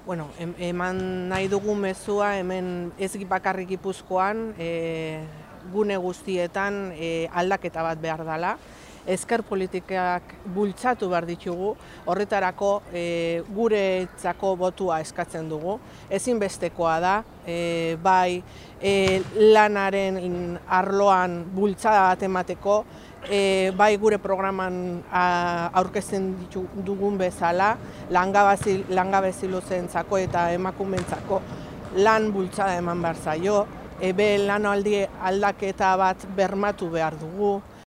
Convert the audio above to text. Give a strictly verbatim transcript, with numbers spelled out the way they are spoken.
Bueno, em- eman nahi dugu mezua hemen ez bakarrik Gipuzkoan, e, gune guztietan e, aldaketa bat behar dela. Ezker politikak bultzatu behar ditugu, horretarako e, guretzako botua eskatzen dugu. Ezinbestekoa da, e, bai e, lanaren arloan bultzada bat emateko, E, bai gure programan a, aurkezten ditu, dugun bezala, langabezi, langabezi luzentzako eta emakumentzako lan bultzada eman behar zaio, ebe lanaldi aldaketa bat bermatu behar dugu,